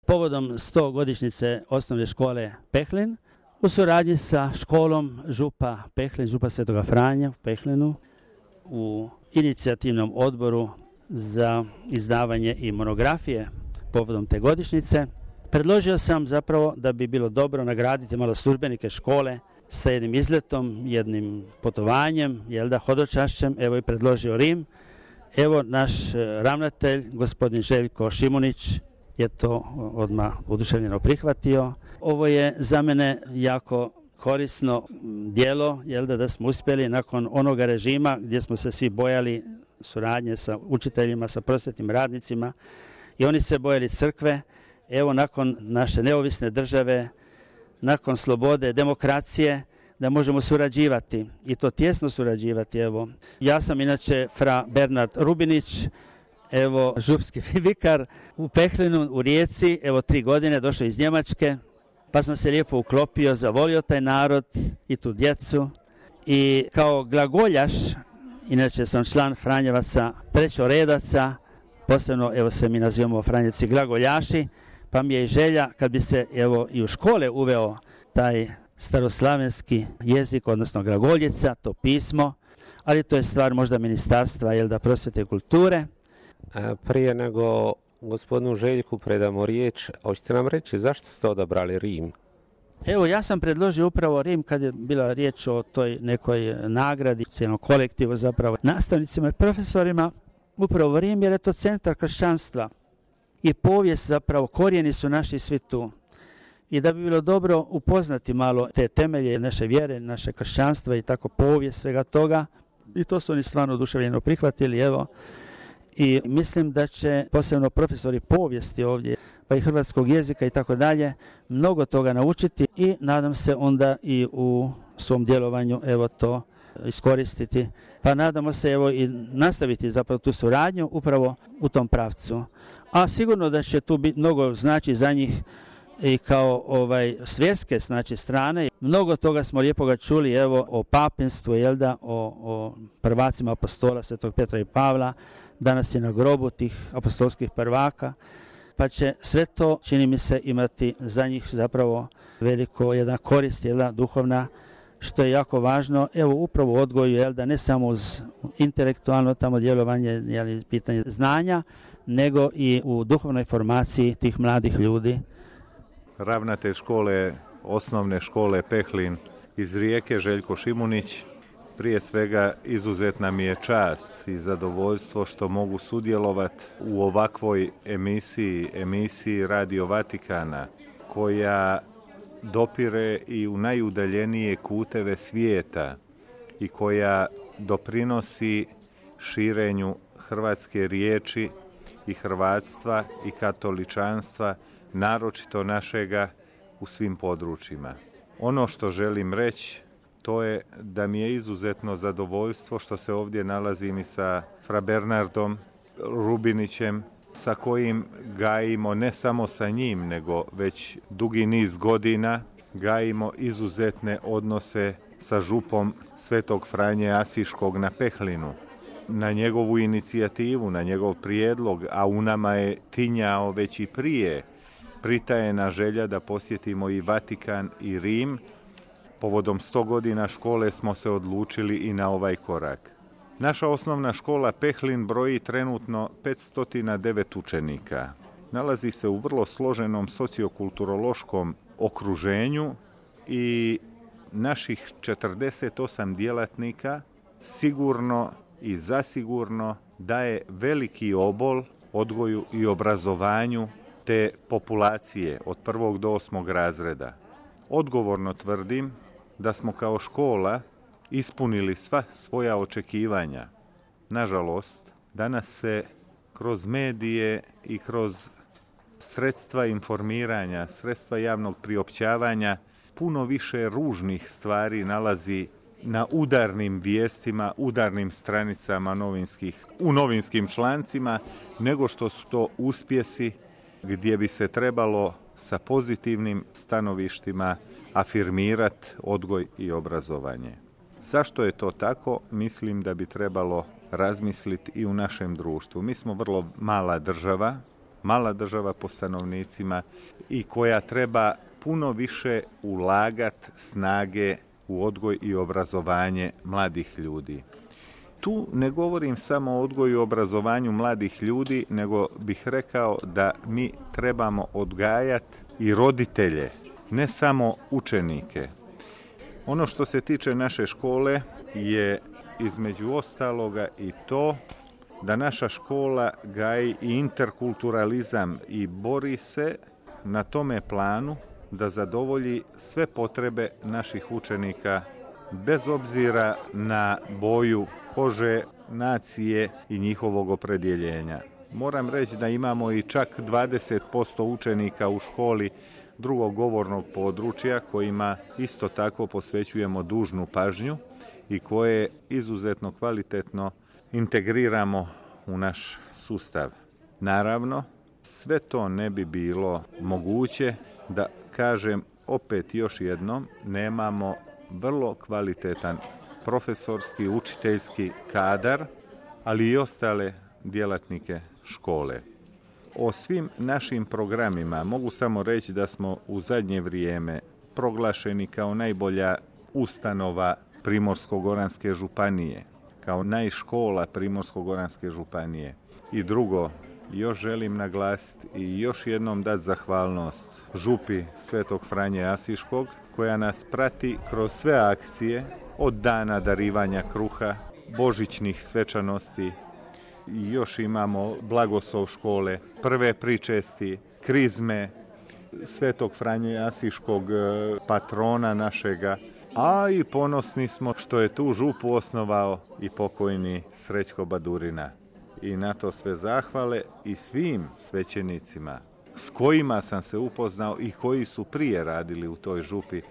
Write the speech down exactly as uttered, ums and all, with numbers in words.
povodom sto godišnjice osnovne škole Pehlin u suradnji sa školom Župa Pehlin, Župa Svetoga Franja u Pehlinu u inicijativnom odboru za izdavanje i monografije povodom te godišnjice. Predložio sam zapravo da bi bilo dobro nagraditi malo službenike škole sa jednim izletom, jednim putovanjem, jel da, hodočašćem. Evo i predložio Rim. Evo naš ravnatelj, gospodin Željko Šimunić, je to odmah oduševljeno prihvatio. Ovo je za mene jako korisno djelo, jel da, da smo uspjeli nakon onoga režima gdje smo se svi bojali suradnje sa učiteljima, sa prosvjetnim radnicima i oni se bojali crkve. Evo nakon naše neovisne države, nakon slobode, demokracije, da možemo surađivati i to tjesno surađivati. Evo, ja sam inače fra Bernard Rubinić, evo župski vikar u Pehlinu, u Rijeci, evo tri godine, došao iz Njemačke, pa sam se lijepo uklopio, zavolio taj narod i tu djecu i kao glagoljaš, inače sam član Franjevaca trećoredaca, posebno evo se mi nazivamo Franjevci glagoljaši, pa mi je i želja kad bi se evo i u škole uveo taj staroslavenski jezik, odnosno glagoljica, to pismo, ali to je stvar možda ministarstva, jel da, prosvjete i kulture. A prije nego gospodinu Željku predamo riječ, hoćete nam reći zašto ste odabrali Rim? Evo, ja sam predložio upravo Rim kad je bila riječ o toj nekoj nagradi, cijelom kolektivu zapravo, nastavnicima i profesorima, upravo Rim jer je to centar kršćanstva i povijest zapravo, korijeni su naši svi tu. I da bi bilo dobro upoznati malo te temelje naše vjere, naše kršćanstva i tako povijest svega toga. I to su oni stvarno oduševljeno prihvatili, evo. I mislim da će posebno profesori povijesti ovdje, pa i hrvatskog jezika i tako dalje, mnogo toga naučiti i nadam se onda i u svom djelovanju evo to iskoristiti. Pa nadamo se evo i nastaviti zapravo tu suradnju upravo u tom pravcu. A sigurno da će tu biti mnogo znači za njih i kao ovaj svjetske znači strane. Mnogo toga smo lijepoga čuli evo o papinstvu, jel da, o, o prvacima apostola Svetog Petra i Pavla, danas je na grobu tih apostolskih prvaka, pa će sve to, čini mi se, imati za njih zapravo veliko jedna korist, jedna duhovna, što je jako važno, evo upravo u odgoju, jel da, ne samo uz intelektualno tamo djelovanje, jel, pitanje znanja, nego i u duhovnoj formaciji tih mladih ljudi. Ravnatelj škole, osnovne škole Pehlin iz Rijeke, Željko Šimunić. Prije svega izuzetna mi je čast i zadovoljstvo što mogu sudjelovati u ovakvoj emisiji, emisiji Radio Vatikana, koja dopire i u najudaljenije kuteve svijeta i koja doprinosi širenju hrvatske riječi i hrvatstva i katoličanstva, naročito našega, u svim područjima. Ono što želim reći, to je da mi je izuzetno zadovoljstvo što se ovdje nalazim i sa fra Bernardom Rubinićem, sa kojim gajimo, ne samo sa njim, nego već dugi niz godina gajimo izuzetne odnose sa župom Svetog Franje Asiškog na Pehlinu. Na njegovu inicijativu, na njegov prijedlog, a u nama je tinjao već i prije, pritajena želja da posjetimo i Vatikan i Rim. Povodom sto godina škole smo se odlučili i na ovaj korak. Naša osnovna škola Pehlin broji trenutno petsto devet učenika. Nalazi se u vrlo složenom sociokulturološkom okruženju i naših četrdeset osam djelatnika sigurno i zasigurno daje veliki obol odgoju i obrazovanju te populacije od prvog do osmog razreda. Odgovorno tvrdim da smo kao škola ispunili sva svoja očekivanja. Nažalost, danas se kroz medije i kroz sredstva informiranja, sredstva javnog priopćavanja, puno više ružnih stvari nalazi na udarnim vijestima, udarnim stranicama novinskih, u novinskim člancima, nego što su to uspjesi gdje bi se trebalo sa pozitivnim stanovištima afirmirati odgoj i obrazovanje. Zašto je to tako? Mislim da bi trebalo razmisliti i u našem društvu. Mi smo vrlo mala država, mala država po stanovnicima i koja treba puno više ulagati snage u odgoj i obrazovanje mladih ljudi. Tu ne govorim samo o odgoju i obrazovanju mladih ljudi, nego bih rekao da mi trebamo odgajati i roditelje, ne samo učenike. Ono što se tiče naše škole je između ostaloga i to da naša škola gaji i interkulturalizam i bori se na tome planu da zadovolji sve potrebe naših učenika bez obzira na boju kože, nacije i njihovog opredjeljenja. Moram reći da imamo i čak dvadeset posto učenika u školi drugog govornog područja kojima isto tako posvećujemo dužnu pažnju i koje izuzetno kvalitetno integriramo u naš sustav. Naravno, sve to ne bi bilo moguće da kažem opet još jednom, nemamo vrlo kvalitetan profesorski, učiteljski kadar, ali i ostale djelatnike škole. O svim našim programima mogu samo reći da smo u zadnje vrijeme proglašeni kao najbolja ustanova Primorsko-goranske županije, kao najškola Primorsko-goranske županije. I drugo, još želim naglasiti i još jednom dati zahvalnost župi Svetog Franje Asiškog, koja nas prati kroz sve akcije, od dana darivanja kruha, božićnih svečanosti, i još imamo blagoslov škole, prve pričesti, krizme Svetog Franje Asiškog, patrona našega, a i ponosni smo što je tu župu osnovao i pokojni Srećko Badurina. I na to sve zahvale i svim svećenicima s kojima sam se upoznao i koji su prije radili u toj župi,